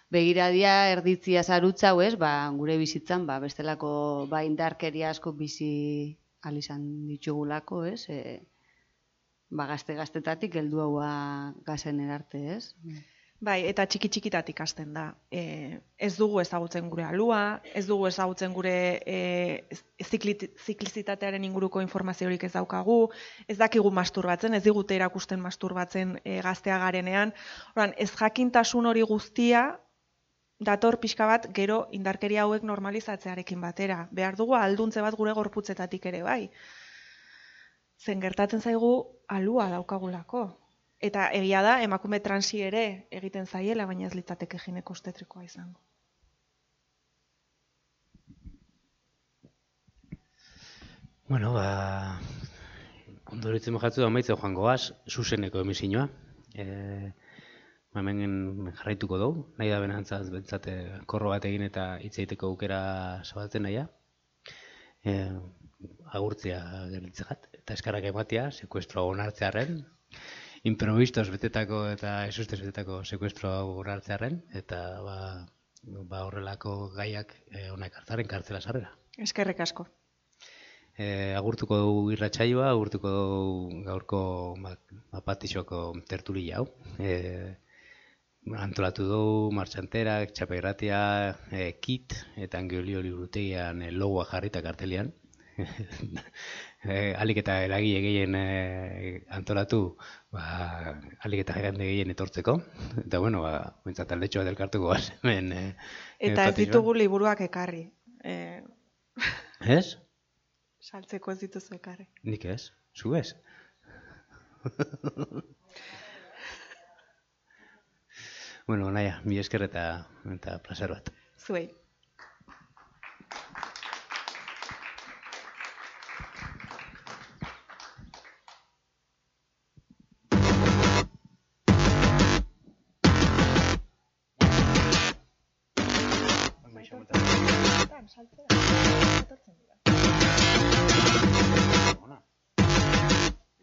begiradia, erditzia zarutza, ez, gure bizitzan, bestelako indarkeria asko bizi alizan ditugulako, ez, gaztetatik heldu haua gazen erarte, ez? Bai, eta txiki-txikitatik hasten da. Ez dugu ezagutzen gure alua, ez dugu ezagutzen gure ziklizitatearen inguruko informaziorik ez daukagu, ez dakigu masturbatzen, ez digute erakusten masturbatzen gaztea garenean. Horan, ez jakintasun hori guztia dator pixka bat gero indarkeria hauek normalizatzearekin batera. Behar dugu alduntze bat gure gorputzetatik ere bai. Zen gertatzen zaigu alua daukagulako. Eta egia da, emakume transi ere egiten zaiela, baina ez litzateke gineko obstetrikoa izango. Bueno, ondoritzen mojatzu da amaitzen joango az, zuzeneko emisioa. Hemen jarraituko dugu, nahi da benantzaz bentsate korro bat egin eta hitz egiteko aukera zabaltzen nahia. agurtzea geritzegat, eta eskarrak ematea, sekuestroa onartzearen, improvistos betetako eta esustez betetako sekuestroa onartzearen, eta horrelako gaiak onak hartzaren kartzela sarrera. Eskerrik asko. Agurtuko dugu irratsaioa, agurtuko dugu gaurko Patixoko tertulia hau. Antolatu dugu Martxanterak, Txapegratia, Kit eta Angiolio liburutegian logoa jarrita kartelian. Alik eta eragile gehien antolatu, alik eta jende gehien etortzeko. Eta bueno, bintzat aldetxoa delkartuko hemen. Eta ez ditugu liburuak ekarri. Ez? Saltzeko ez dituzu ekarri. Nik ez, zu ez. Bueno, naia, mi esker eta placer bat. Zuei.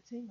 Sí.